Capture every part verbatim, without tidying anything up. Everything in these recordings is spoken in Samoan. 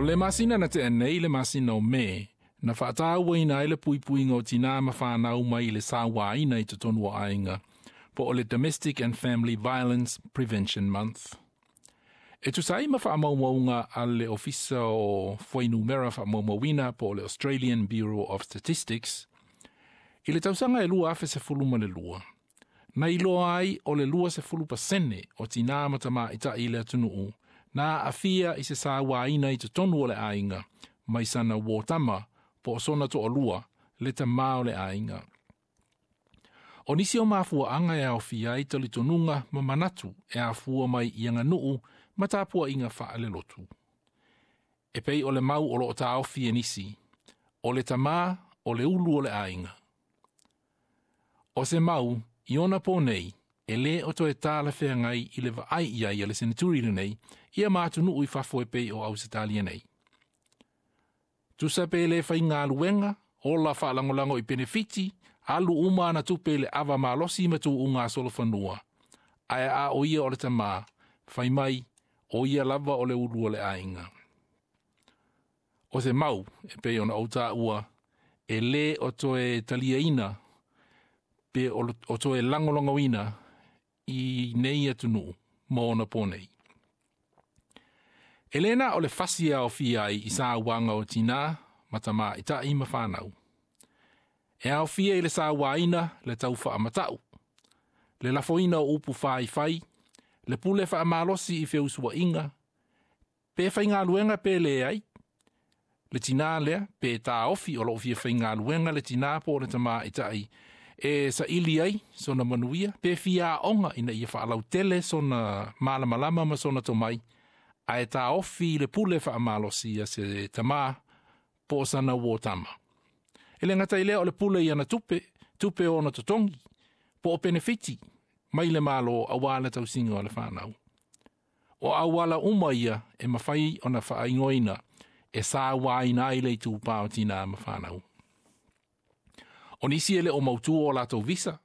O le masina na tea nei le masina o Me, na faatauaina ai le puipuiga o tinā ma fanau mai le sauaina i totonu o aiga, po o le Domestic and Family Violence Prevention Month. E tusa ai ma faamaumauga a le Ofisa o Fuainumera Faamaumauina po o le Australian Bureau of Statistics, i le tausaga e lua afe sefulu ma le lua, na iloa ai o le lua sefulu pasene o tinā ma tamaitai i le atunuu, na aafia i se sauaina i totonu o le aiga, mai sana uō tama po o sona toalua le tamā o le aiga. O nisi o mafuaaga e aofia ai talitonuga ma manatu e afua mai i aganuu ma tapuaiga faalelotu. E pei o le mau o loo taofi e nisi, o le tamā o le ulu o le aiga. O se mau, i ona pō nei, e lē o toe talafeagai i le vaai i ai a le seneturi lenei, ia ma atunuu i fafo e pei o Ausetalia nei. Tusa pe le faigaluega, ola faalagolago i penefiti, alu uma ana tupe i le ava malosi ma tuuga solofanua. Ae a o ia o le tamā, fai mai, o ia lava o le ulu o le aiga. O se mau, e pei ona ou taua, e lē o toe taliaina, pe o toe lagolagoina i nei atunuu ma ona pō nei. E lē na o le fasi e aofia ai i sauaga o tinā, ma tamaitai ma fanau. E aofia i le sauaina le tau faamatau, le lafoina o upu faifai, le pule faamalosi i feusuaiga, pe faigaluega pe leai, le tinā lea pe taofi o loo fia faigaluega le tinā po o le tamaitai e saili ai sona manuia, pe fia aoga ina ia faalautele sona malamalama ma sona tomai, ae taofi le pule faamalosi a se tamā po o sana uō tama. E le gata i lea o le pule i ana tupe, tupe o ona totogi, po o penefiti, mai le Malo auā le tausiga o le fanau. O auala uma ia e mafai ona faaigoaina e sauaina ai le itupā o tinā ma fanau. O nisi e le o mautū o latou visa,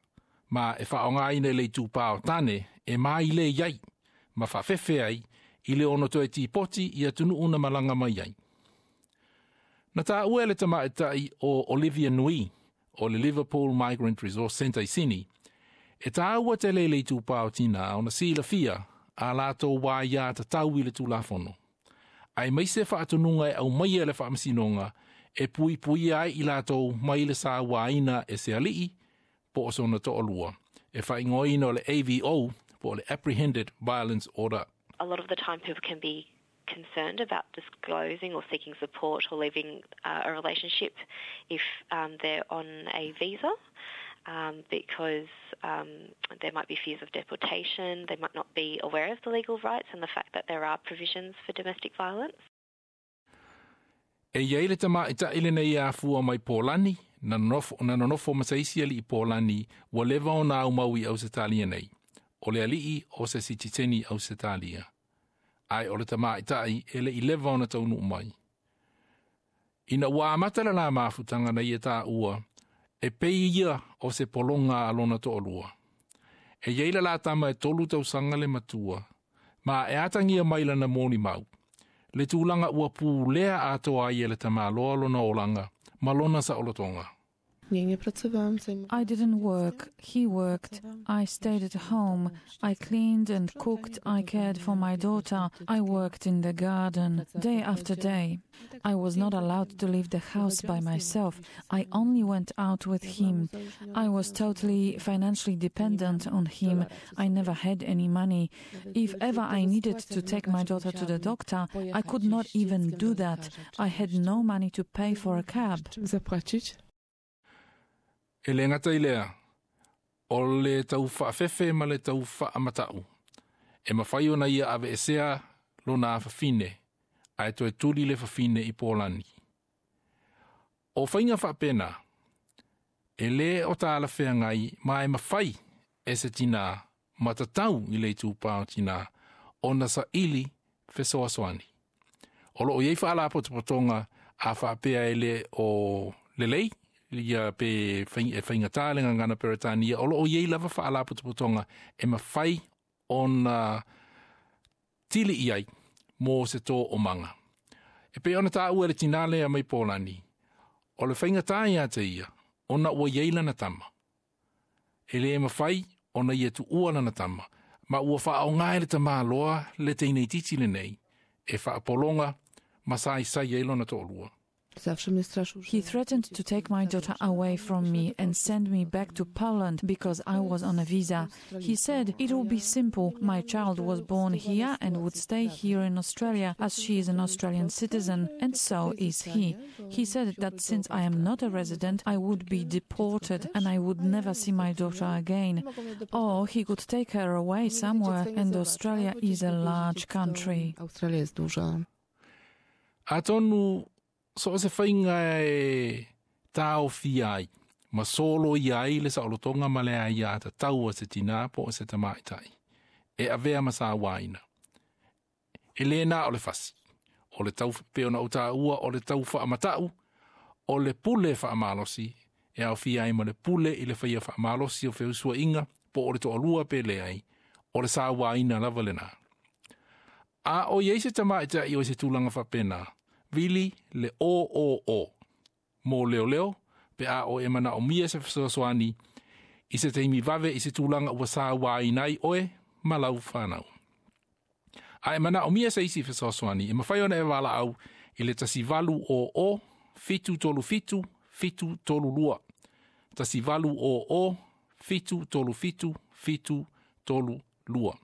ma e faaaogaina le itupā o tane e mailei ai, ma faafefe ai i le ono toe tipoti i atunuu na malaga mai ai. Na taua e le tamaitai o Olivia Nui o le Liverpool Migrant Resource Centre i Sini, e taua tele le itupā o tinā ona silafia a latou aiatatau i le tulafono. Aemaise faatonuga e aumaia e le faamasinoga e puipuia ai i latou mai le sauaina e se alii po o sona toalua. E faaigoaina o le A V O po o le Apprehended Violence Order. A lot of the time people can be concerned about disclosing or seeking support or leaving uh, a relationship if um, they're on a visa, Um, because um, there might be fears of deportation, they might not be aware of the legal rights and the fact that there are provisions for domestic violence. E iai le tamaitai lenei afua mai Polani, na nonofo, na nonofo ma se isi alii Polani, ua leva ona aumau i Ausetalia nei. O le alii o se sitiseni Ausetalia. Ae o le tamaitai e le i leva ona taunuu mai. Ina ua amata le la mafutaga na ia taua, e pei ia o se pologa a lona toalua. E iai le la tama e tolu tausaga le matua, ma e atagia mai lana molimau. Le tulaga ua pulea atoa ai e le tamaloa lona olaga, ma lona saolotoga. I didn't work, he worked. I stayed at home. I cleaned and cooked. I cared for my daughter. I worked in the garden day after day. I was not allowed to leave the house by myself. I only went out with him. I was totally financially dependent on him. I never had any money. If ever I needed to take my daughter to the doctor, I could not even do that. I had no money to pay for a cab. E le gata i lea, o le tau faafefe ma le tau faamatau. E mafai ona ia aveesea lona afafine, ae toe tuli le fafine i Polani. O faiga faapena, e lē o talafeagai ma e mafai e se tinā ma tatau i le itupā o tinā ona saili fesoasoani. O loo iai faalapotopotoga a faapea e lē o lelei, ia pe e faigata le gagana Peretania, o loo iai lava faalapotopotoga e mafai ona tili i ai mo se toomaga. E pei ona taua e le tinā lea mai Polani, o le faigata ia te ia, ona ua i ai lana tama. E le mafai ona ia tuua lana tama, ma ua faaaoga e le tamāloa le teineitiiti lenei, e faapologa ma saisai ai lona toalua. He threatened to take my daughter away from me and send me back to Poland because I was on a visa. He said it will be simple. My child was born here and would stay here in Australia as she is an Australian citizen, and so is he. He said that since I am not a resident, I would be deported and I would never see my daughter again. Or he could take her away somewhere, and Australia is a large country. Australia jest duża. Atonu so o se faiga e taofia ai, ma soloia ai le saolotoga ma le aiatatau a se tinā po o se tamaitai, e avea ma sauaina. E le na o le fasi, o le tau pei ona ou taua o le tau faamatau, o le pule faamalosi, e aofia ai ma le pule i le faia faamalosi o feusuaiga, po o le toalua pe leai, o le sauaina lava lenā. A o i ai se tamaitai o i se tulaga faapena, vili le o o o, mo leoleo, pe a o e manaomia se fesoasoani, i se taimi vave i se tulaga ua sauaina ai oe ma lau fanau. A e manaomia se isi fesoasoani, e mafai ona e valaau i le tasi valu o o, fitu tolu fitu, fitu tolu lua. Tasi valu o o, fitu tolu fitu, fitu tolu lua.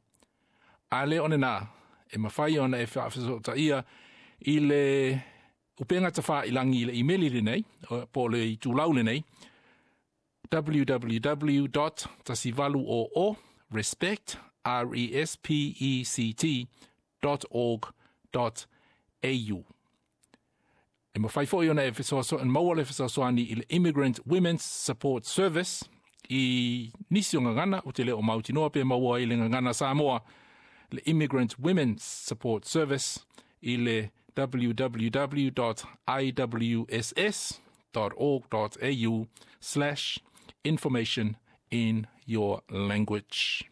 A le o lenā, e mafai ona e faafesootaia i le upega tafailagi i le imeli lenei, po o le itulau lenei, www tasi valu o o respect r e s p e c t dot org dot au. E mafai foi ona e fesoasoani maua le fesoasoani i le Immigrant Women's Support Service i nisi o gagana, ou te le o mautinoa pe maua i le gagana Samoa, le Immigrant Women's Support Service i le www dot i w s s dot org dot a u slash information in your language.